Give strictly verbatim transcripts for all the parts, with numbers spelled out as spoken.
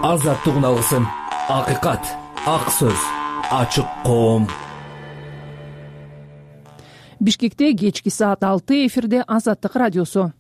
азаттык үналысын, акыйкат, ак сөз, ачык коом. Бишкекте кечки саат алты, эфирде Азаттык радиосу.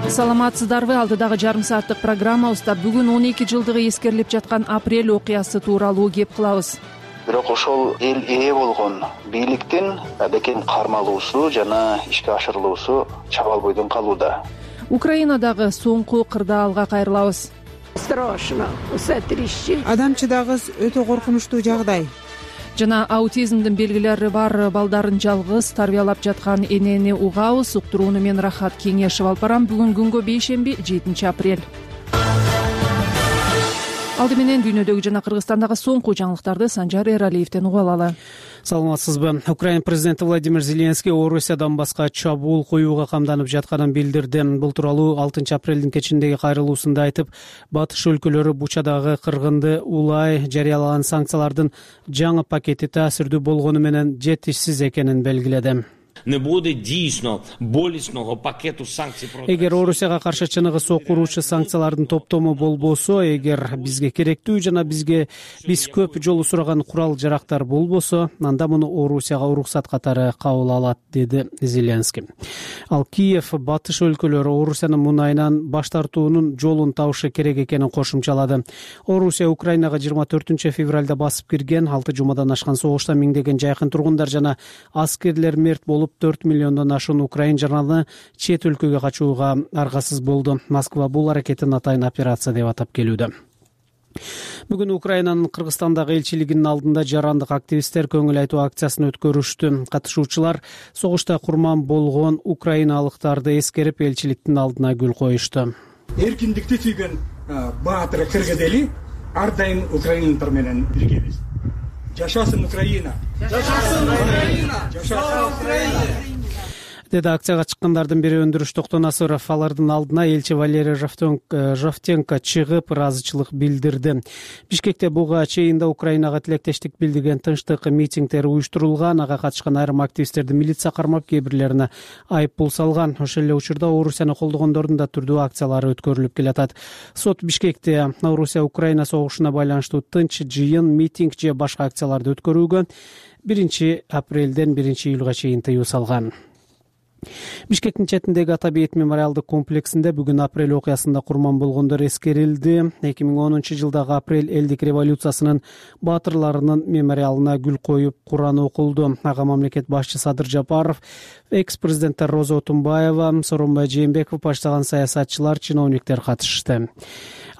Саламатсыздарбы? Алдыдагы жарым сааттык программабызда бүгүн он эки жылдыгы эскерилип жаткан апрель окуясы тууралуу кеп кылабыз. Бирок ошол эл ээ болгон бийликтин адекем кармалуусу жана ишке ашырылуусу чабал бойдон калууда. Украинадагы соңку кырдаалга кайрылабыз. Страшно, усатрищи. Адамчыдагыз өтө коркунучтуу жагдай. Жана аутизмдин белгилери бар балдарын жалгыз тарбиялап жаткан энени угабыз. Уктурууну мен Рахат Кеңешев алып барам. Бүгүн күнгө бейшемби, жетинчи апрель. Алды менен дүйнөдөгү жана Кыргызстандагы соңку жаңылыктарды Санжар Эралиевден угуп алалы. Саламатсызбы? Украина президенти Владимир Зеленский Орусия Донбасска чабуул коюуга камданып жатканын билдирди. Бул тууралуу алтынчы апрелдин кечиндеги кайрылуусунда айтып, батыш өлкөлөрү Бучадагы кыргынды улай жарыялаган санкциялардын жаңы пакети таасирдүү болгону менен жетишсиз экенин белгиледи. Не буде дійсно болісного пакету санкций проти. Эгер Орусияга каршы чыныгы сокуруучу санкциялардын топтому болбосо, эгер бизге керектүү жана бизге биз көп жолу сураган курал жарактар болбосо, анда муну Орусияга уруксат катары кабыл алат, деди Зеленский. Ал Киев батыш өлкөлөрү Орусиянын мунайынан баш тартуунун жолун табышы керек экенин кошумчалады. Орусия Украинага жыйырма төртүнчү февралда басып кирген, алты жумадан ашкан согушта миңдеген жайкын тургундар жана аскерлер мерт болуп төрт миллиондон ашуун украин жараны чет өлкөгө качууга аргасыз болду. Москва бул аракетин атайын операция деп атап келүүдө. Бүгүн Украинанын Кыргызстандагы элчилигинин алдында жарандык активисттер көңүл айтуу акциясын өткөрүштү. Катышуучулар согушта курман болгон украиналыктарды эскерип элчиликтин алдына гүл коюшту. Эркиндикти сүйгөн баатыр кыргыз эли ар дайым украиналар менен биргебиз. Жашасын Украина! Жашасын Украина! Жашасын Украина! Деди акцияга чыккандардын бири Өндүрүш Токтонасыров. Алардын алдына элчи Валерий Жовтенко чыгып ыраазычылык билдирди. Бишкекте буга чейин Украинага тилектештик билдирген тынчтык митингдер уюштурулган. Ага катышкан айрым активисттерди милиция кармап, кээ бирлерине айып пул салган. Ошол эле учурда Орусияны колдогондордун да түрдүү акциялары өткөрүлүп келатат. Сот Бишкекте Орусия Украина согушуна байланыштуу тынч жыйын, митинг же башка акцияларды өткөрүүгө биринчи апрелден биринчи июлга чейин тыюу салган. Бишкектин четиндеги Ата бейит мемориалдык комплексинде бүгүн апрель окуясында курман болгондор эскерилди. эки миң онунчу жылдагы апрель элдик революциясынын баатырларынын мемориалына гүл коюп, Куран окулду. Ага мамлекет башчы Садыр Жапаров, экс-президенттер Роза Отунбаева, Сооронбай Жээнбеков баштаган саясатчылар, чиновниктер катышты.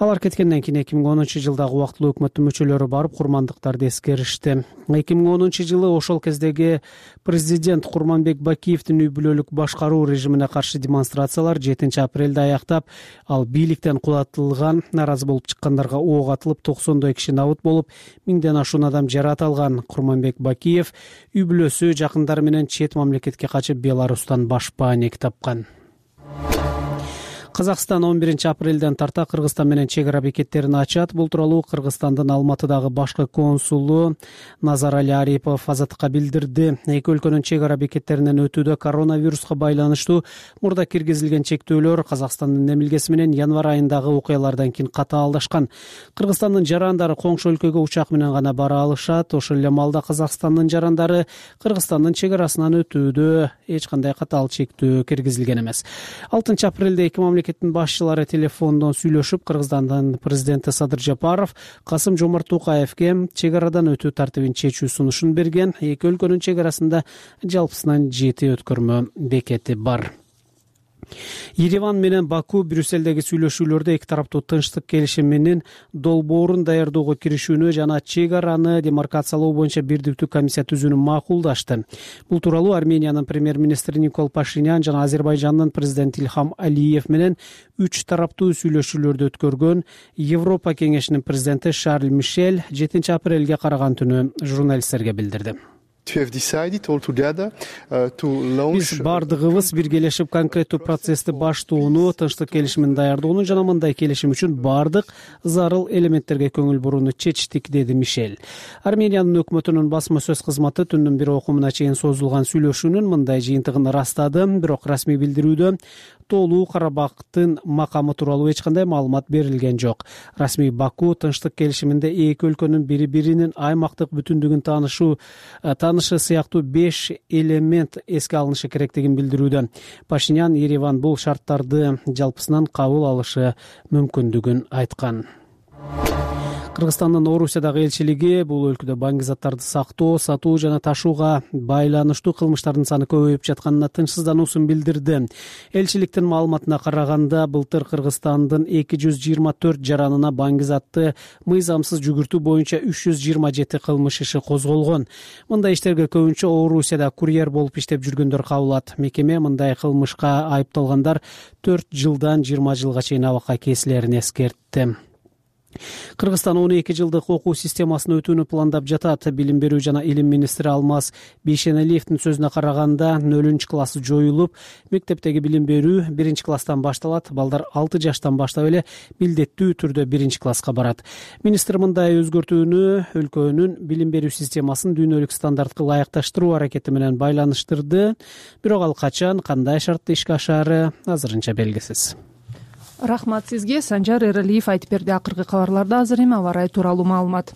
Алар кеткенден кийин эки миң онунчу жылдагы убактылуу өкмөттүн мүчөлөрү барып курмандыктарды эскеришти. эки миң онунчу жылы ошол кездеги президент Курманбек Бакиевдин үй бүлөлүк башкаруу режимине каршы демонстрациялар жетинчи апрелде аяктап, ал бийликтен кулатылган, наразы болуп чыккандарга ок атылып, токсондой киши набыт болуп, миңден ашуун адам жаратылган. Курманбек Бакиев үй бүлөсү, жакындары менен чет мамлекетке качып, Беларустан башпаанек тапкан. Казакстан он биринчи апрелден тарта Кыргызстан менен чек ара бекеттерин ачат. Бул тууралуу Кыргызстандын Алматыдагы башкы консулу Назарали Арипов Азаттыкка билдирди. Эки өлкөнүн чек ара бекеттеринен өтүүдө коронавируска байланыштуу мурда киргизилген чектөөлөр Казакстандын эмилгеси менен январь айындагы окуялардан кийин катаалдашкан. Кыргызстандын жарандары коңшу өлкөгө учак менен гана бара алышат. Ошол эле маалда Казакстандын жарандары Кыргызстандын чек арасынан өтүүдө эч кандай катаал чектөө киргизилген эмес. алтынчы апрелде эки мамлекет Мамлекеттин башчылары телефондон сүйлөшүп, Кыргызстандын президенти Садыр Жапаров Касым Жомарт Токаевге чек арадан өтүү тартибин чечүү сунушун берген. Эки өлкөнүн чек арасында жалпысынан жети өткөрмө бекети бар. Ереван менен Баку Брюссельдеги сүйлөшүүлөрдө эки тараптуу тынчтык келишиминин долбоорун даярдоого киришүүнү жана чек араны демаркациялоо боюнча бирдиктүү комиссия түзүүнү макулдашты. Бул тууралуу Армениянын премьер-министри Никол Пашинян жана Азербайжандын президенти Ильхам Алиев менен үч тараптуу сүйлөшүүлөрдү өткөргөн Европа кеңешинин президенти Шарль Мишель жетинчи апрелге караган түнү журналисттерге билдирди. Биз бардыгыбыз биргелешип конкреттүү процессти баштоону, тынчтык келишимин даярдоону жана мындай келишим үчүн бардык зарыл элементтерге көңүл бурууну чечтик, деди Мишель. Армениянын өкмөтүнүн басма сөз кызматы түндүн бир окумуна чейин созулган сүйлөшүүнүн мындай жыйынтыгын ырастады, бирок расмий билдирүүдө толуу Карабактын макамы тууралуу эч кандай маалымат берилген жок. Расмий Баку тынчтык келишиминде эки өлкөнүн бири биринин аймактык бүтүндүгүн таанышуу таанышы сыяктуу беш элемент эске алынышы керектигин билдирүүдө. Пашинян Ереван бул шарттарды жалпысынан кабыл алышы мүмкүндүгүн айткан. Кыргызстандын Орусиядагы элчилиги бул өлкөдө баңги заттарды сактоо, сатуу жана ташууга байланыштуу кылмыштардын саны көбөйүп жатканына тынчсыздануусун билдирди. Элчиликтин маалыматына караганда, былтыр Кыргызстандын эки жүз жыйырма төрт жаранына баңги затты мыйзамсыз жүгүртүү боюнча үч жүз жыйырма жети кылмыш иши козголгон. Мындай иштерге көбүнчө Орусияда курьер болуп иштеп жүргөндөр кабылат. Мекеме мындай кылмышка айыпталгандар төрт жылдан жыйырма жылга чейин абакка кесилерин эскертти. Кыргызстан он эки жылдык окуу системасын өтүүнү пландап жатат. Билим берүү жана илим министри Алмаз Бейшеналиевдин сөзүнө караганда, нөлүнчү класс жоюлуп, мектептеги билим берүү биринчи класстан башталат. Балдар алты жаштан баштап эле милдеттүү түрдө биринчи класска барат. Министр мындай өзгөртүүнү өлкөнүн билим берүү системасын дүйнөлүк стандартка ылайыкташтыруу аракети менен байланыштырды. Бирок ал качан, кандай шартта ишке ашаары азырынча белгисиз. Рахмат сизге. Санжар Эралиев айтып берди. Акыркы кабарларда азыр эми аба ырайы тууралуу маалымат.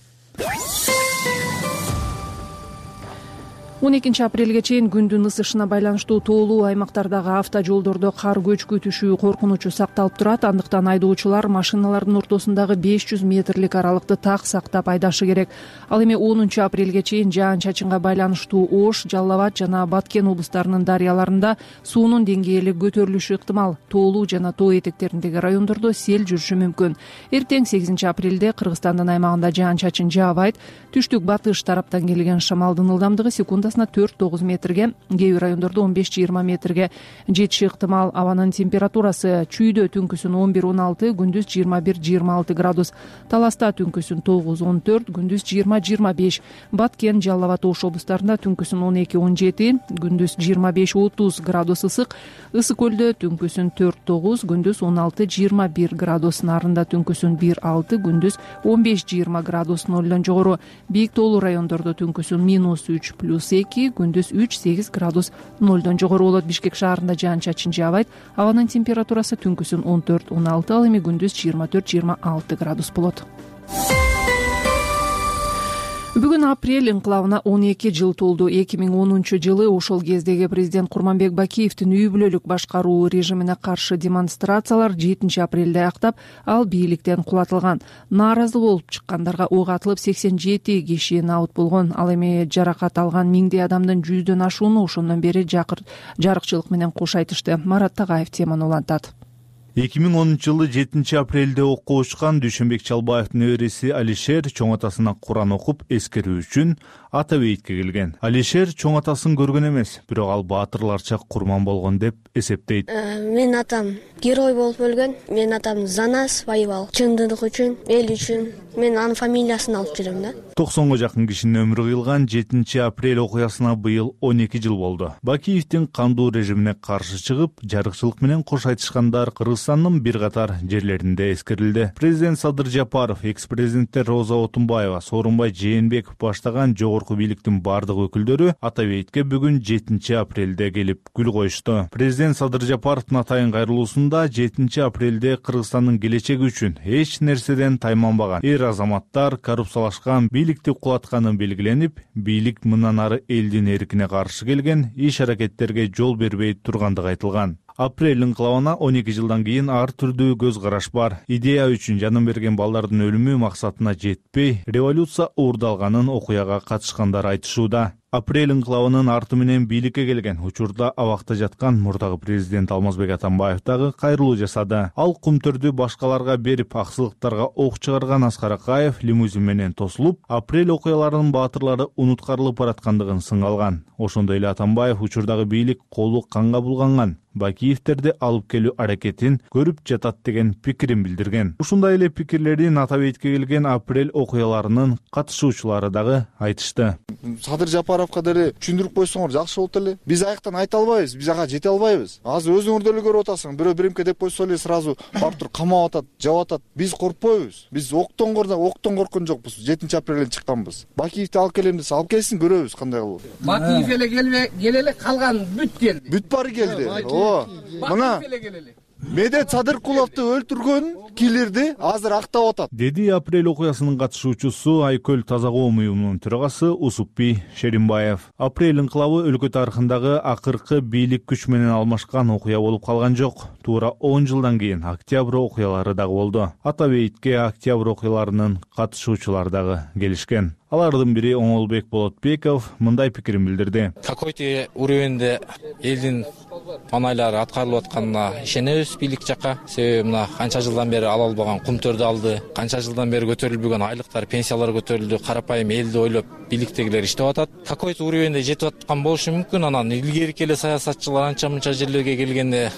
он экинчи апрелге чейин күндүн ысышына байланыштуу тоолуу аймактардагы автожолдордо кар көчкү түшүү коркунучу сакталып турат. Андыктан айдоочулар машиналардын ортосундагы беш жүз метрлик аралыкты так сактап айдашы керек. Ал эми онунчу апрелге чейин жаан-чачынга байланыштуу Ош, Жалал Абад жана Баткен облустарынын дарыяларында суунун деңгээли көтөрүлүшү ыктымал. Тоолуу жана тоо этектериндеги райондордо сел жүрүшү мүмкүн. Эртең сегизинчи апрелде Кыргызстандын аймагында жаан-чачын жаабайт. Түштүк батыш тараптан келген шамалдын ылдамдыгы секундасына төрт тогуз метрге, кээ бир райондордо он беш жыйырма метрге жетиши ыктымал. Абанын температурасы чүйдө түнкүсүн он бир он алты, күндүз жыйырма бир жыйырма алты градус. Таласта түнкүсүн тогуз он төрт, күндүз жыйырма жыйырма беш. Баткен, Жалал Абад, Ош облустарында түнкүсүн он эки он жети, күндүз жыйырма беш отуз градус ысык. Ысык көлдө түнкүсүн төрт тогуз, күндүз он алты жыйырма бир градус. Нарында түнкүсүн бир алты, күндүз он беш жыйырма градус. Нолдон жогору. Бийик тоолуу райондордо түнкүсүн минус үч плюс эки, күндүз үч сегиз градус. Нолдон жогору болот. Бишкек шаарында жаан-чачын жаабайт. Абанын температурасы түнкүсүн он төрт он алты, ал эми күндүз жыйырма төрт жыйырма алты градус болот. Бүгүн апрель инкылабына он эки жыл толду. эки миң онунчу жылы ошол кездеги президент Курманбек Бакиевдин үй бүлөлүк башкаруу режимине каршы демонстрациялар жетинчи апрелде аяктап, ал бийликтен кулатылган. Нааразы болуп чыккандарга ок атылып, сексен жети киши наут болгон. Ал эми жаракат алган миңдей адамдын жүздөн ашууну ошондон бери жарыкчылык менен кош айтышты. Марат Тагаев теманы улантат. эки миң онунчу жылы жетинчи апрелде окко учкан Дүйшөнбек Чалбаевдин небереси Алишер чоң атасына Куран окуп эскерүү үчүн Ата бейитке келген. Алишер чоң атасын көргөн эмес, бирок ал баатырларча курман болгон деп эсептейт. Менин атам герой болуп өлгөн. Менин атам Занас воевал. Чындык үчүн, эл үчүн. Мен анын фамилиясын алып жүрөм да. токсонго жакын кишинин өмүрү кыйылган жетинчи апрель окуясына быйыл он эки жыл болду. Бакиевдин кандуу режимине каршы чыгып, жарыкчылык менен кош айтышкандар Кыргызстандын бир катар жерлеринде эскерилди. Президент Садыр Жапаров, экс-президенттер Роза Отунбаева, Сооронбай Жээнбеков баштаган жогорку бийликтин бардык өкүлдөрү Ата бейитке бүгүн жетинчи апрелде келип гүл коюшту. Президент Садыр Жапаровдун атайын кайрылуусунда жетинчи апрелде Кыргызстандын келечеги үчүн эч нерседен тайманбаган эр азаматтар коррупциялашкан бийликти кулатканы белгиленип, бийлик мындан ары элдин эркине каршы келген иш-аракеттерге жол бербей тургандыгы айтылган. Апрель инкылабына он эки жылдан кийин ар түрдүү көз караш бар. Идея үчүн жанын берген балдардын өлүмү максатына жетпей, революция уурдалганын окуяга катышкандар айтышууда. Апрель инкылабынын арты менен бийликке келген учурда абакта жаткан мурдагы президент Алмазбек Атамбаев дагы кайрылуу жасады. Ал кумтөрдү башкаларга берип, аксылыктарга ок чыгарган Аскар Акаев лимузин менен тосулуп, апрель окуяларынын баатырлары унуткарылып бараткандыгын сыңалган. Ошондой эле Атамбаев учурдагы бийлик колу канга булганган, Бакиевтерди алып келүү аракетин көрүп жатат деген пикирин билдирген. Ушундай эле пикирлерин Атабейитке келген апрель окуяларынын катышуучулары дагы айтышты. Садыр Жапаровго деле түшүндүрүп койсоңор жакшы болот эле. Биз аяктан айта албайбыз, биз ага жете албайбыз. Азыр өзүңөр деле көрүп атасың, бирөө биримке деп койсо эле сразу барып туруп камап атат, жап атат. Биз коркпойбуз. Биз октон корда октон корккон жокпуз. жетинчи апрелден чыкканбыз. Бакиевди алып келем десе, алып келсин, көрөбүз кандай кылып. Бакиев эле келбей, келеле калган бүт келди. Бүт баары келди. Ооба. Мына Медет Садыркуловду өлтүргөн киллерди азыр актап атат, деди апрель окуясынын катышуучусу Айкөл Таза коом уюмунун төрагасы Усупбий Шеримбаев. Апрель инкылабы өлкө тарыхындагы акыркы бийлик күч менен алмашкан окуя болуп калган жок. Туура он жылдан кийин октябрь окуялары дагы болду. Атабейитке октябрь окуяларынын катышуучулары дагы келишкен. Алардын бири Оңолбек Болотбеков мындай пикирин билдирди. Какой-то уровенде элдин манайлары аткарылып атканына ишенебиз бийлик жакка. Себеби мына канча жылдан бери ала албаган кумтөрдү алды, канча жылдан бери көтөрүлбөгөн айлыктар, пенсиялар көтөрүлдү, карапайым элди ойлоп бийликтегилер иштеп атат. Какой-то уровенде жетип аткан болушу мүмкүн. Анан илгерки эле саясатчылар анча мынча жерлерге келгенде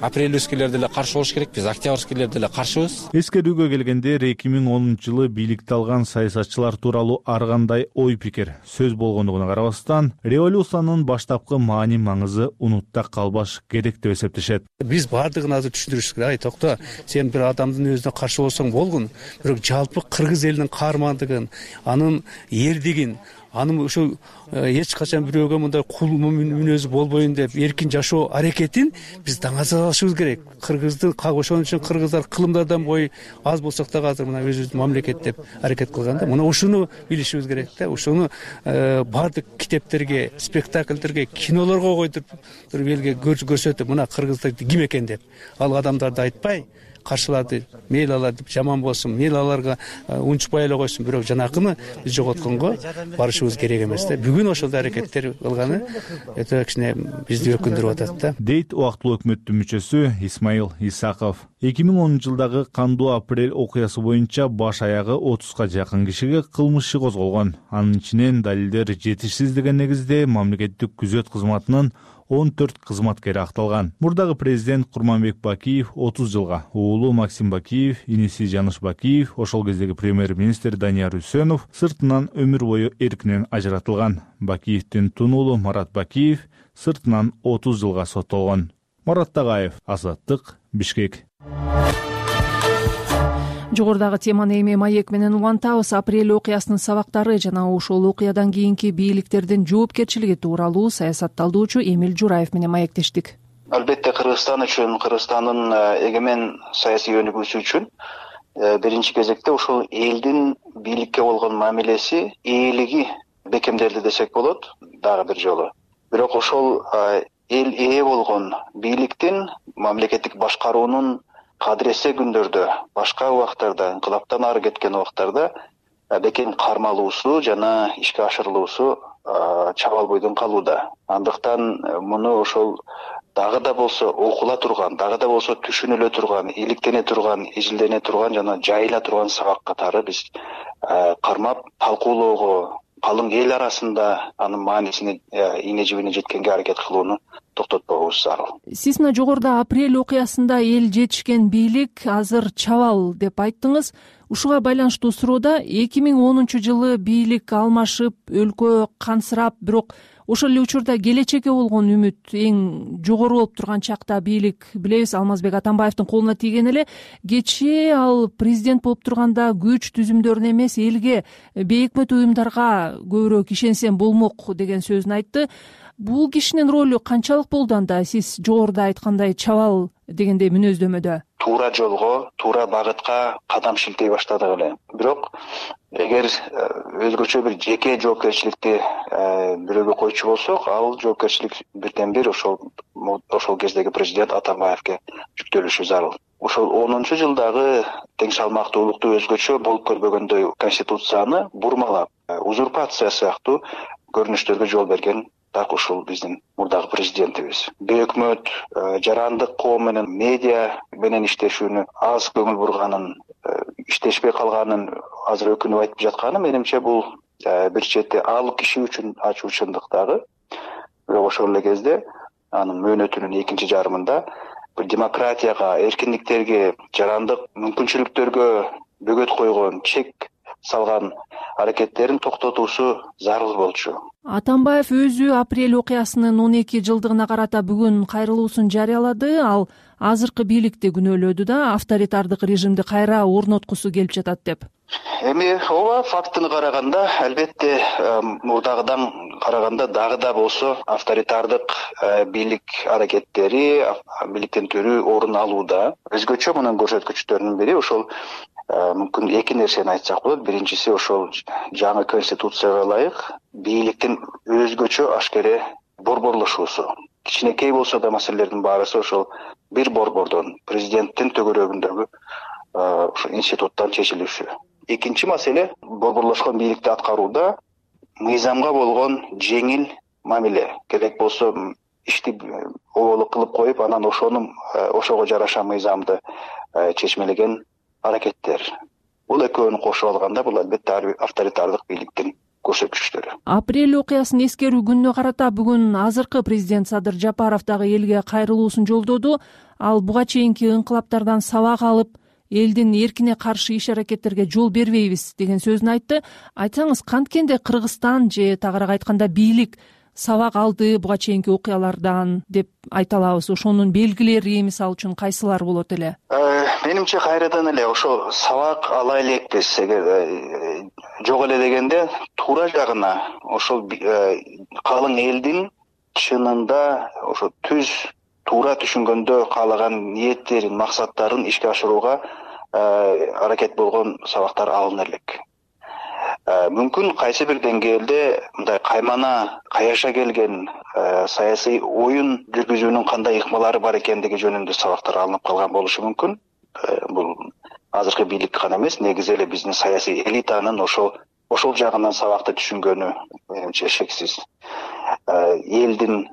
апрельскилер деле каршы болуш керек, биз октябрьскилер деле каршыбыз. Эскерүүгө келгенде эки миң онунчу жылы бийликти алган саясатчылар тууралуу ар кандай ой пикир, сөз болгондугуна карабастан, революциянын баштапкы маани маңызы унутта калбаш керек деп эсептешет. Биз баардыгын азыр түшүндүрүш керек. Ай токто, сен бир адамдын өзүнө каршы болсоң болгон, бирок жалпы кыргыз элинин каармандыгын, анын эрдигин, анын ошо эч качан бирөөгө мындай кул мүнөзү болбойн деп эркин жашоо аракетин биз даңазалашыбыз керек. Кыргыздын ошон үчүн кыргыздар кылымдардан бой аз болсок да азыр мына өзүбүздүн мамлекет деп аракет кылган да. Мына ошону билишибиз керек да. Ошону баардык китептерге, спектакльдерге, кинолорго койдуруп элге көрсөтүп, мына кыргыздар ким экен деп. Ал адамдарды айтпай, каршылады, мейли алар деп жаман болсун, мейли аларга унчукпай эле койсун, бирок жанакыны биз жоготконго барышыбыз керек эмес да. Бүгүн ошол аракеттер кылганы өтө кичине бизди өкүндүрүп атат да. Дейт убактылуу өкмөттүн мүчөсү Исмаил Исаков. эки миң онунчу жылдагы кандуу апрель окуясы боюнча баш аягы отузга жакын кишиге кылмыш иши козголгон. Анын ичинен далилдер жетишсиз деген негизде мамлекеттик күзөт кызматынын он төрт кызматкери акталган. Мурдагы президент Курманбек Бакиев отуз жылга, уулу Максим Бакиев, иниси Жаныш Бакиев, ошол кездеги премьер-министр Данияр Үсөнов сыртынан өмүр бою эркинен ажыратылган. Бакиевдин тунуулу Марат Бакиев сыртынан отуз жылга соттолгон. Марат Тагаев, Азаттык, Бишкек. Жогорудагы теманы эми маек менен улантабыз. Апрель окуясынын сабактары жана ошол окуядан кийинки бийликтердин жоопкерчилиги тууралуу саясатталдоочу Эмил Жураев менен маектештик. Албетте Кыргызстан үчүн, Кыргызстандын эгемен саясий өнүгүүсү үчүн биринчи кезекте ошол элдин бийликке болгон мамилеси, ээлиги бекемделди десек болот дагы бир жолу. Бирок ошол эл ээ болгон бийликтин, мамлекеттик башкаруунун кадыресе күндөрдө, башка убактарда, инкылаптан ары кеткен убактарда бекем кармалуусу жана ишке ашырылуусу чабал бойдон калууда. Андыктан муну ошол дагы да болсо окула турган, дагы да болсо түшүнүлө турган, иликтене турган, эжилдене турган жана жайыла турган сабак катары биз кармап талкуулоого, калың эл арасында анын маанисине, ийне жибине жеткенге аракет кылууну токтотпогубуз зарыл. Сиз мына жогоруда апрель окуясында эл жетишкен бийлик азыр чабал деп айттыңыз. Ушуга байланыштуу суроода эки миң онунчу жылы бийлик алмашып, өлкө кансырап, бирок ошол эле учурда келечекке болгон үмүт эң жогору болуп турган чакта бийлик, билебиз, Алмазбек Атамбаевдин колуна тийген эле. Кечээ ал президент болуп турганда күч түзүмдөрүнө эмес, элге, бейөкмөт уюмдарга көбүрөөк ишенсем болмок деген сөзүн айтты. Бул кишинин ролу канчалык болду анда сиз жогоруда айткандай чабал дегендей мүнөздөмөдө? Туура жолго, туура багытка кадам шилтей баштадык эле. Бирок эгер өзгөчө бир жеке жоопкерчиликти бирөөгө койчу болсок, ал жоопкерчилик бирден бир ошол ошол кездеги президент Атамбаевге жүктөлүшү зарыл. Ошол онунчу жылдагы тең салмактуулукту өзгөчө болуп көрбөгөндөй конституцияны бурмалап, узурпация сыяктуу көрүнүштөргө жол берген так ушул биздин мурдагы президентибиз. Бейөкмөт, жарандык коом менен, медиа менен иштешүүнү аз көңүл бурганын, иштешпей калганын азыр өкүнүп айтып жатканы менимче бул бир чети ал киши үчүн ачуучундук дагы. Бирок ошол эле кезде анын мөөнөтүнүн экинчи жарымында демократияга, эркиндиктерге, жарандык мүмкүнчүлүктөргө бөгөт койгон, чек салган аракеттерин токтотуусу зарыл болчу. Атамбаев өзү апрель окуясынын он эки жылдыгына карата бүгүн кайрылуусун жарыялады. Ал азыркы бийликти күнөөлөдү да авторитардык режимди кайра орноткусу келип жатат деп. Эми ооба, фактыны караганда албетте мурдагыдан караганда дагы да болсо авторитардык бийлик аракеттери бийликтен төрү орун алууда. Өзгөчө мунун көрсөткүчтөрүнүн бири ошол мүмкүн эки нерсени айтсак болот. Биринчиси ошол жаңы конституцияга ылайык бийликтин өзгөчө ашкере борборлошуусу. Кичинекей болсо да маселелердин баарысы ошол бир борбордон, президенттин төгөрөгүндөгү ошо институттан чечилиши. Экинчи маселе борборлошкон бийликти аткарууда мыйзамга болгон жеңил мамиле. Керек болсо ишти оболок кылып коюп, анан ошону ошого жараша мыйзамды чечмелеген аракеттер. Бул экөөнү кошуп алганда бул албетте авторитардык бийликтин көрсөткүчтөрү. Апрель окуясын эскерүү күнүнө карата бүгүн азыркы президент Садыр Жапаров дагы элге кайрылуусун жолдоду. Ал буга чейинки инкылаптардан сабак алып, элдин эркине каршы иш аракеттерге жол бербейбиз деген сөзүн айтты. Айтсаңыз, канткенде Кыргызстан же тагыраак айтканда бийлик сабак алды буга чейинки окуялардан деп айта алабыз? Ошонун белгилери мисалы үчүн кайсылар болот эле? Менимче кайрадан эле ошо сабак ала элекпиз. Эгер жок эле дегенде туура жагына ошол калың элдин чынында ошо түз туура түшүнгөндө каалаган ниеттерин, максаттарын ишке ашырууга аракет болгон сабактар алына элек. Мүмкүн кайсы бир деңгээлде мындай каймана каяша келген саясий оюн жүргүзүүнүн кандай ыкмалары бар экендиги жөнүндө сабактар алынып калган болушу мүмкүн. Бул азыркы бийлик гана эмес, негизи эле биздин саясий элитанын ошол ошол жагынан сабакты түшүнгөнү менимче шексиз. Элдин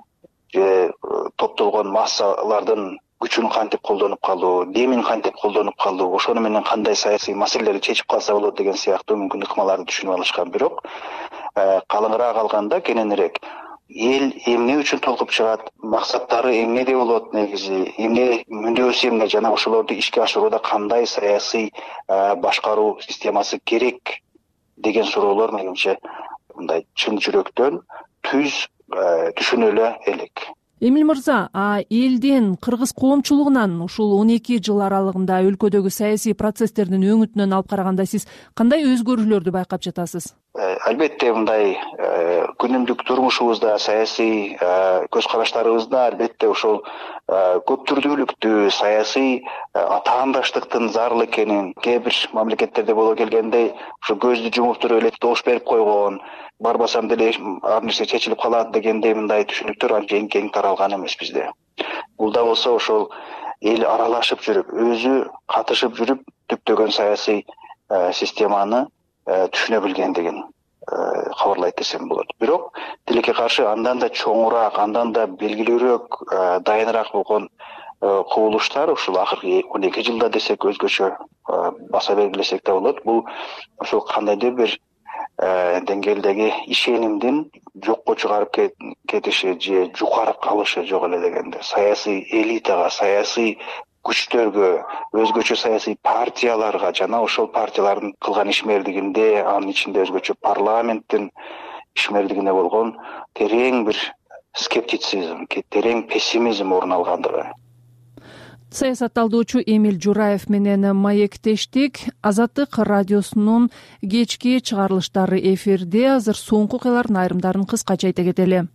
же топтолгон массалардын күчүн кантип колдонуп калуу, демин кантип колдонуп калуу, ошону менен кандай саясий маселелерди чечип калса болот деген сыяктуу мүмкүн ыкмаларды түшүнүп алышкан. Бирок калыңыраак алганда кененирээк эл эмне үчүн толкуп чыгат, максаттары эмнеде болот, негизи эмне, мүндөсү эмне, жана ошолорду ишке ашырууда кандай саясий башкаруу системасы керек деген суроолор менимче мындай чын жүрөктөн түз түшүнөлө элек. Эмил мырза, элдин, кыргыз коомчулугунан ушул он эки жыл аралыгында өлкөдөгү саясий процесстердин өңүтүнөн алып караганда сиз кандай өзгөрүүлөрдү байкап жатасыз? Албетте мындай күнүмдүк турмушубузда, саясий көз караштарыбызда албетте ошол көп түрдүүлүктү, саясий атаандаштыктын зарыл экенин, кээ бир мамлекеттерде боло келгендей ошо көздү жумуп туруп эле добуш берип койгон, барбасам деле ар нерсе чечилип калат дегендей мындай түшүнүктөр анчейин кең таралган эмес бизде. Бул да болсо ошол эл аралашып жүрүп, өзү катышып жүрүп түптөгөн саясий системаны түшүнө билгендигин кабарлайт десем болот. Бирок тилекке каршы андан да чоңураак, андан да белгилүүрөөк, дайыныраак болгон кубулуштар ушул акыркы он эки жылда десек өзгөчө баса белгилесек да болот. Бул ошол кандайдыр бир деңгээлдеги ишенимдин жокко чыгарып кетиши же жукарып калышы жок эле дегенде, саясий элитага, саясий күчтөргө, өзгөчө саясий партияларга жана ошол партиялардын кылган ишмердигинде, анын ичинде өзгөчө парламенттин ишмердигине болгон терең бир скептицизм, терең пессимизм орун алгандыгы. Саясатталдоочу Эмил Жураев менен маектештик. Азаттык радиосунун кечки чыгарылыштары эфирде. Азыр соңку окуялардын айрымдарын кыскача айта кетели.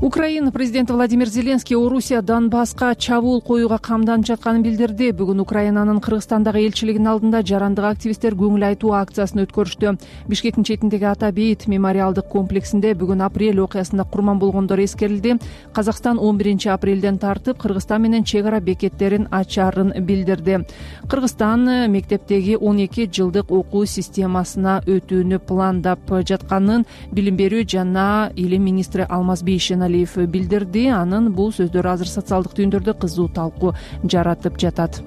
Украина президенти Владимир Зеленский Орусия Донбасска чабуул коюуга камданып жатканын билдирди. Бүгүн Украинанын Кыргызстандагы элчилигинин алдында жарандык активисттер көңүл айтуу акциясын өткөрүштү. Бишкектин четиндеги Ата Бейит мемориалдык комплексинде бүгүн апрель окуясында курман болгондор эскерилди. Казакстан он биринчи апрелден тартып Кыргызстан менен чек ара бекеттерин ачарын билдирди. Кыргызстан мектептеги он эки жылдык окуу системасына өтүүнү пландап жатканын билим берүү жана илим министри Алмаз Бейшеналиев билдирди. Анын бул сөздөрү азыр социалдык түйүндөрдө кызуу талкуу жаратып жатат.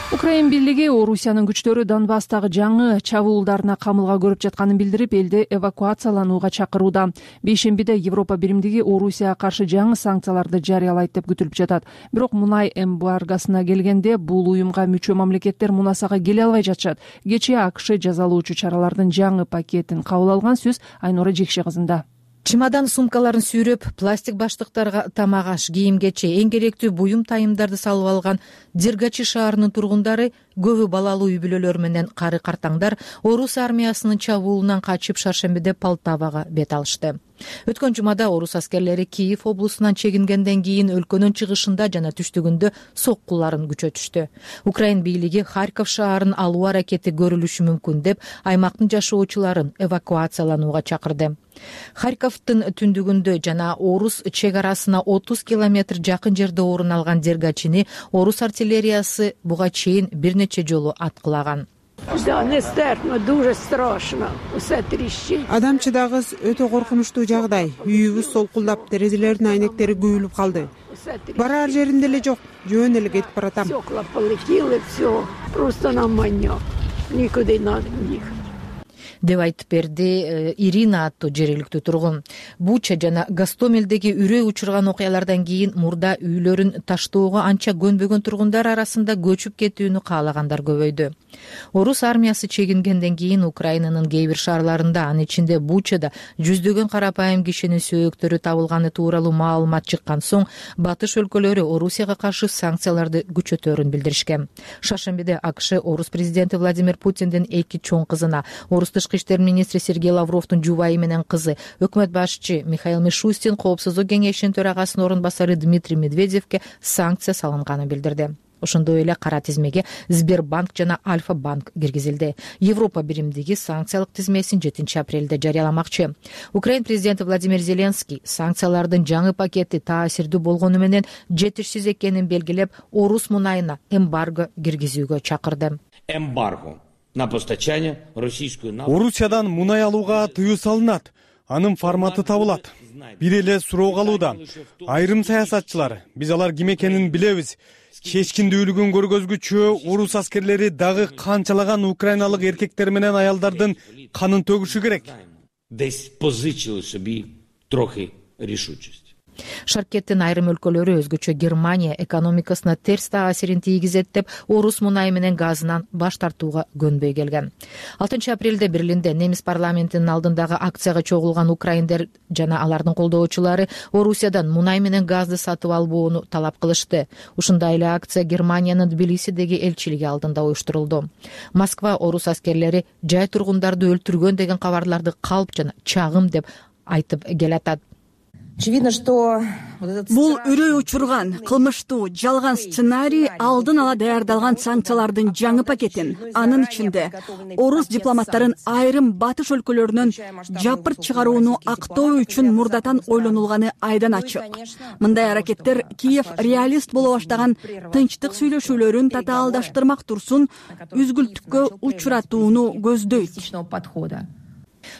Украин бийлиги Орусиянын күчтөрү Донбасстагы жаңы чабуулдарына камылга көрүп жатканын билдирип, элди эвакуацияланууга чакырууда. Бейшембиде Европа биримдиги Орусияга каршы жаңы санкцияларды жарыялайт деп күтүлүп жатат. Бирок мунай эмбаргосуна келгенде бул уюмга мүчө мамлекеттер мунасага келе албай жатышат. Кечээ АКШ жазалоочу чаралардын жаңы пакетин кабыл алган. Сөз Айнура Жекше кызында. Чемодан сумкаларын сүйрөп, пластик баштыктарга тамак-аш, кийим-кече, эң керектүү буюм тайымдарды салып алган Дергачи шаарынын тургундары, көбү балалуу үй бүлөлөр менен кары картаңдар орус армиясынын чабуулунан качып Шаршембиде Полтавага бет алышты. Өткөн жумада орус аскерлери Киев облусунан чегингенден кийин өлкөнүн чыгышында жана түштүгүндө соккуларын күчөтүштү. Украин бийлиги Харьков шаарын алуу аракети көрүлүшү мүмкүн деп аймактын жашоочуларын эвакуацияланууга чакырды. Харьковдун түндүгүндө жана орус чек арасына отуз километр жакын жерде орун алган Дергачини орус артиллериясы буга чейин бир нече жолу аткылаган. Адам чыдагыс өтө коркунучтуу жагдай. Үйүбүз солкулдап, терезелердин айнектери күйүлүп калды. Барар жеримде эле жок, жөн эле кетип баратам. Деп айтып берди Ирина аттуу жергиликтүү тургун. Буча жана Гастомелдеги үрөй учурган окуялардан кийин мурда үйлөрүн таштоого анча көнбөгөн тургундар арасында көчүп кетүүнү каалагандар көбөйдү. Орус армиясы чегингенден кийин Украинанын кээ бир шаарларында, анын ичинде Бучада жүздөгөн карапайым кишинин сөөктөрү табылганы тууралуу маалымат чыккан соң, батыш өлкөлөрү Орусияга каршы санкцияларды күчөтөөрүн билдиришкен. Шаршембиде АКШ орус президенти Владимир Путиндин эки чоң кызына, орус тышкы иштер министри Сергей Лавровдун жубайы менен кызы, өкмөт башчы Михаил Мишустин, коопсуздук кеңешинин төрагасынын орун басары Дмитрий Медведевке санкция салынганын билдирди. Ошондой эле кара тизмеге Сбербанк жана Альфа банк киргизилди. Европа биримдиги санкциялык тизмесин жетинчи апрелде жарыяламакчы. Украин президенти Владимир Зеленский санкциялардын жаңы пакети таасирдүү болгону менен жетишсиз экенин белгилеп, орус мунайына эмбарго киргизүүгө чакырды. Эмбарго на постачание российскую нафту. Орусиядан мунай алууга тыюу салынат. Анын форматы табылат. Бир эле суроо калууда. Айрым саясатчылар, биз алар ким экенин билебиз. Чечкиндүүлүгүн көргөзгүчү орус аскерлери дагы канчалаган украиналык эркектер менен аялдардын канын төгүшү керек. Десь позичили собі трохи рішучості. Шаркеттин айрым өлкөлөрү, өзгөчө Германия экономикасына терс таасирин тийгизет деп, орус мунайы менен газынан баш тартууга көнбөй келген. алтынчы апрелде Берлинде немис парламентинин алдындагы акцияга чогулган украиндер жана алардын колдоочулары Орусиядан мунай менен газды сатып албоону талап кылышты. Ушундай эле акция Германиянын Тбилисидеги элчилиги алдында уюштурулду. Москва орус аскерлери жай тургундарды өлтүргөн деген кабарларды калп жана чагым деп айтып келатат. Бул үрөй учурган, кылмыштуу, жалган сценарий алдын ала даярдалган санкциялардын жаңы пакетин, анын ичинде орус дипломаттарын айрым батыш өлкөлөрүнөн жапырт чыгарууну актоо үчүн мурдатан ойлонулганы айдан ачык. Мындай аракеттер Киев реалист боло баштаган тынчтык сүйлөшүүлөрүн татаалдаштырмак турсун үзгүлтүккө учуратууну көздөйт.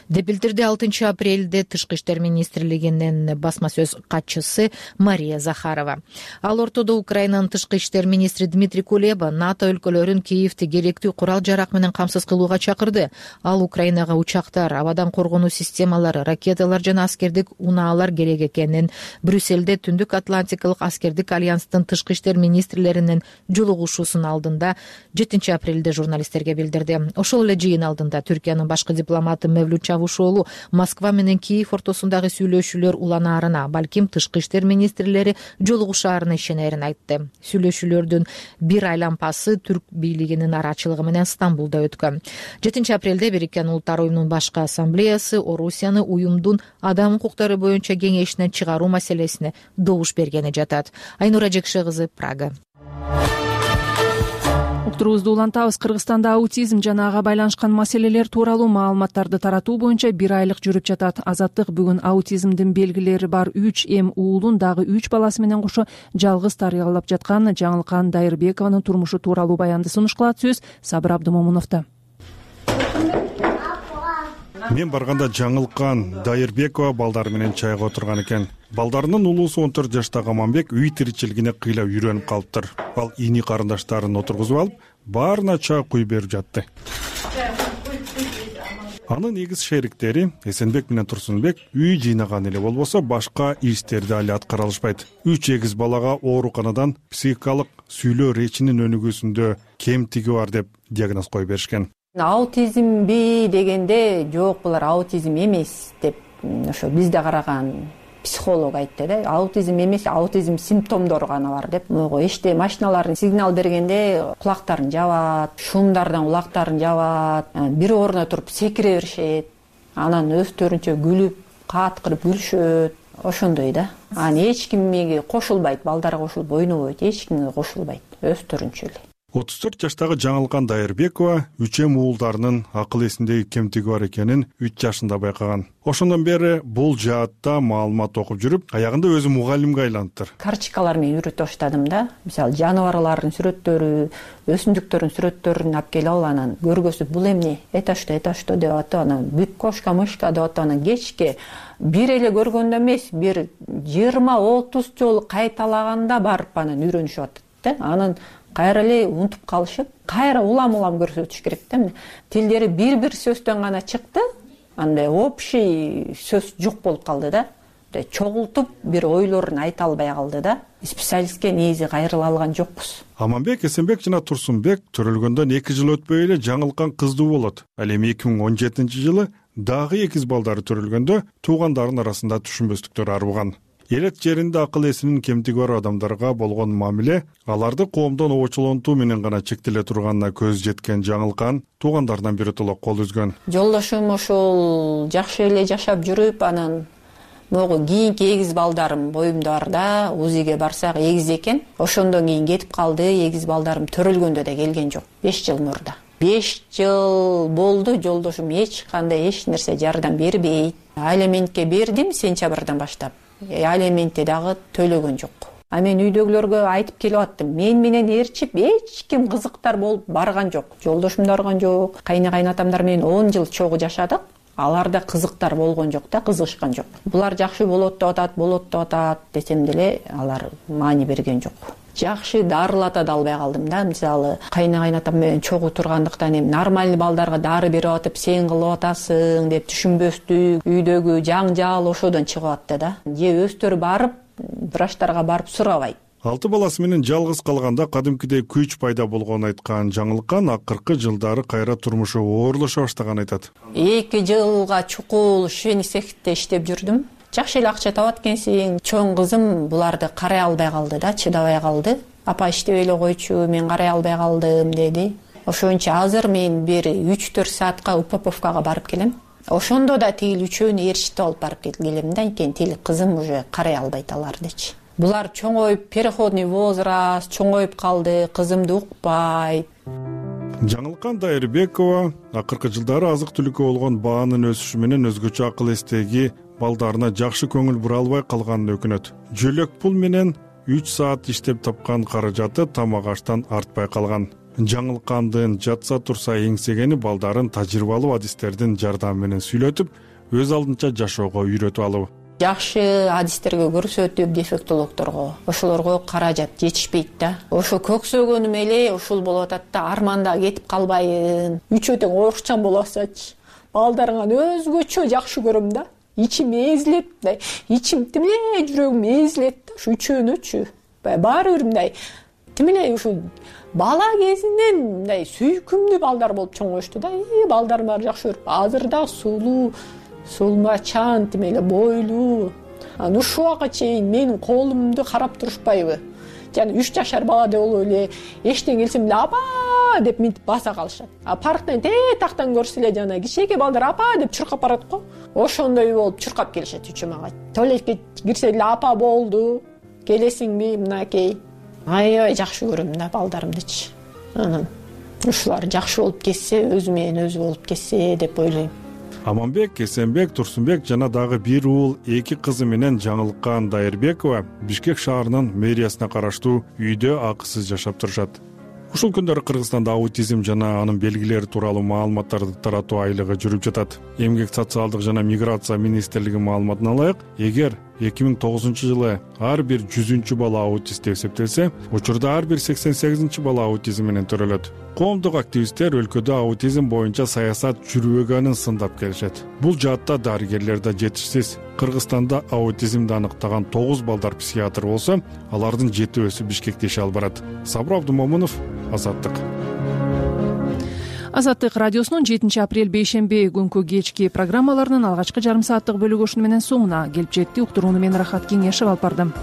Деп билдирди алтынчы апрелде Тышкы иштер министрлигинин басма сөз катчысы Мария Захарова. Ал ортодо Украинанын тышкы иштер министри Дмитрий Кулеба НАТО өлкөлөрүн Киевти керектүү курал жарак менен камсыз кылууга чакырды. Ал Украинага учактар, абадан коргонуу системалары, ракеталар жана аскердик унаалар керек экенин, Брюссельде Түндүк Атлантикалык аскердик альянстын тышкы иштер министрлеринин жолугушуусунун алдында жетинчи апрелде журналисттерге билдирди. Ошол эле жыйын алдында Түркиянын башкы дипломаты Мевлют Чавушоğlu Москва менен Киев ортосундагы сүйлөшүүлөр уланаарына, балким тышкы иштер министрлери жолугушаарына ишенерин айтты. Сүйлөшүүлөрдүн бир айлампасы түрк бийлигинин арачылыгы менен Стамбулда өткөн. жетинчи апрелде Бириккен Улуттар уюмунун башкы ассамблеясы Орусияны уюмдун адам укуктары боюнча кеңешинен чыгаруу маселесине добуш бергени жатат. Айнура Жекше кызы, Прага. Уктурубузду улантабыз. Кыргызстанда аутизм жана ага байланышкан маселелер тууралуу маалыматтарды таратуу боюнча бир айлык жүрүп жатат. Азаттык бүгүн аутизмдин белгилери бар үч эм уулун дагы үч баласы менен кошо жалгыз тарыялап жаткан Жаңылкан Дайырбекованын турмушу тууралуу баянды сунуш кылат. Сөз Сабыр Абдымомуновдо. Мен барганда Жаңылкан Дайырбекова балдары менен чайга отурган экен. Балдарынын улуусу он төрт жаштагы Аманбек үй тиричилигине кыйлап үйрөнүп калыптыр. Ал ини карындаштарын отургузуп алып, баарына чай куюп берип жатты. Анын эгиз шериктери Эсенбек менен Турсунбек үй жыйнаган эле болбосо башка иштерди али аткара алышпайт. Үч эгиз балага ооруканадан психикалык сүйлөө речинин өнүгүүсүндө кемтиги бар деп диагноз коюп беришкен. Аутизмби дегенде жок, булар аутизм эмес деп ошо бизде караган психолог айтты да. Аутизм эмес, аутизм симптомдору гана бар деп. Могу эште машиналардын сигнал бергенде кулактарын жабат, шумдардан кулактарын жабат, бир орунда туруп секире беришет, анан өздөрүнчө күлүп, кааткырып күлүшөт, ошондой да. Анан эч кимге кошулбайт, балдарга кошулуп ойнобойт, эч кимге кошулбайт, өздөрүнчө эле. отуз төрт жаштагы Жаңылкан Дайырбекова үчөм уулдарынын акыл эсиндеги кемтиги бар экенин үч жашында байкаган. Ошондон бери бул жаатта маалымат окуп жүрүп, аягында өзү мугалимге айланттыр. Карточкалар менен үйрөтө баштадым да. Мисалы, жаныбарлардын сүрөттөрү, өсүмдүктөрдүн сүрөттөрүн алып келип алып, анан көргөзүп, бул эмне, это что, это что деп атып, анан бүк кошка, мышка деп атып, анан кечке бир эле көргөндө эмес, бир жыйырма отуз жолу кайталаганда барып анан үйрөнүшүп атат да. Анан кайра эле унутуп калышып, кайра улам-улам көрсөтүш керек да. Тилдери бир-бир сөздөн гана чыкты, андай общий сөз жок болуп калды да. Чогултуп бир ойлорун айта албай калды да. Специалистке негизи кайрыла алган жокпуз. Аманбек, Эсенбек жана Турсунбек төрөлгөндөн эки жыл өтпөй эле Жаңылкан кыздуу болот. Ал эми эки миң он жетинчи жылы дагы экиз балдары төрөлгөндө туугандарынын арасында түшүнбөстүктөр арбыган. Элет жеринде акыл эсинин кемтиги бар адамдарга болгон мамиле аларды коомдон обочолонтуу менен гана чектеле турганына көз жеткен Жаңылкан туугандарынан биротоло кол үзгөн. Жолдошум ошол жакшы эле жашап жүрүп, анан могу кийинки эгиз балдарым боюмда бар да, УЗИге барсак эгиз экен. Ошондон кийин кетип калды, эгиз балдарым төрөлгөндө да келген жок. беш жыл мурда. беш жыл болду, жолдошум эч кандай эч нерсе жардам бербейт. Алиментке бердим сентябрдан баштап. Алиментти дагы төлөгөн жок. А мен үйдөгүлөргө айтып келип аттым. Мен менен ээрчип эч ким кызыктар болуп барган жок. Жолдошум да барган жок. Кайны кайнатамдар менен он жыл чогуу жашадык. Аларда кызыктар болгон жок да, кызыгышкан жок. Булар жакшы болот деп атат, болот деп атат десем деле алар маани берген жок. Жакшы дарылата да албай калдым да. Мисалы, кайны кайнатам менен чогуу тургандыктан эми нормальный балдарга дары берип атып, сен кылып атасың деп түшүнбөстүк, үйдөгү жаңжал ошодон чыгып атты да. Же өздөрү барып, врачтарга барып сурабайт. Алты баласы менен жалгыз калганда кадимкидей күч пайда болгонун айткан Жаңылкан акыркы жылдары кайра турмушу оорлоша баштаганын айтат. эки жылга чукул швейный цехте иштеп жүрдүм. Жакшы эле акча табат экенсиң. Чоң кызым буларды карай албай калды да, чыдабай калды. Апа иштеп эле койчу, мен карай албай калдым деди. Ошончо азыр мен бир үч төрт саатка Упаповкага барып келем. Ошондо да тигил үчөөнү ээрчитип алып барып келем да, анткени тил кызым уже карай албайт алардычы. Булар чоңоюп, переходный возраст, чоңоюп калды, кызымды укпайт. Жаңылкан Дайырбекова акыркы жылдары азык-түлүккө болгон баанын өсүшү менен өзгөчө акыл эстеги балдарына жакшы көңүл бура албай калганын өкүнөт. Жөлөк пул менен үч саат иштеп тапкан каражаты тамак аштан артпай калган. Жаңылкандын жатса турса эңсегени балдарын тажрыйбалуу адистердин жардамы менен сүйлөтүп, өз алдынча жашоого үйрөтүп алуу. Жакшы адистерге көрсөтүп, дефектологдорго, ошолорго каражат жетишпейт да. Ошо көксөгөнүм эле ушул болуп атат да, арманда кетип калбайын. Үчөө тең орукчан болуп атсачы, балдарыңан өзгөчө жакшы көрөм да. Ичим эзилет, мындай, ичим тимеле жүрөгүм эзилет да, ушу үчөөнүчү. Баары бир мындай, тимеле ушул бала кезинен мындай сүйкүмдүү балдар болуп чоңоюшту да. Балдарым баары жакшы көрүп, азыр да сулуу, сулмачан, тимеле бойлуу. Анан ушул убакка чейин менин колумду карап турушпайбы? Жана үч жашар бала деп болуп эле эштен келсем эле апа деп мынтип баса калышат. А парктан тактан көрсө эле жана кичинекей балдар апа деп чуркап барат го. Ошондой болуп чуркап келишет үчөө мага. Туалетке кирсе эле апа болду, келесиңби мынакей. Аябай жакшы көрөм да балдарымдычы. Анан ушулар жакшы болуп кетсе, өзү менен өзү болуп кетсе деп ойлойм. Аманбек, Эсенбек, Турсунбек жана дагы бир уул эки кызы менен Жаңылкан Дайырбекова Бишкек шаарынын мэриясына караштуу үйдө акысыз жашап турушат. Ушул күндөрү Кыргызстанда аутизм жана анын белгилери тууралуу маалыматтарды таратуу айлыгы жүрүп жатат. Эмгек социалдык жана миграция министрлиги маалыматына ылайык, эгер эки миң тогузунчу жылы ар бир жүзүнчү бала аутист деп эсептелсе, учурда ар бир сексен сегизинчи бала аутизм менен төрөлөт. Коомдук активисттер өлкөдө аутизм боюнча саясат жүрбөгөнүн сындап келишет. Бул жаатта дарыгерлер да жетишсиз. Кыргызстанда аутизмди аныктаган тогуз балдар психиатр болсо, алардын жетөөсү Бишкекте иш алып барат. Сабыр Абдумомунов, Азаттык. Азаттык радиосунун жетинчи апрель бейшемби күнкү кечки программаларынын алгачкы жарым сааттык бөлүгү ушуну менен соңуна келип жетти. Уктурууну мен Рахат Кеңешев алып бардым.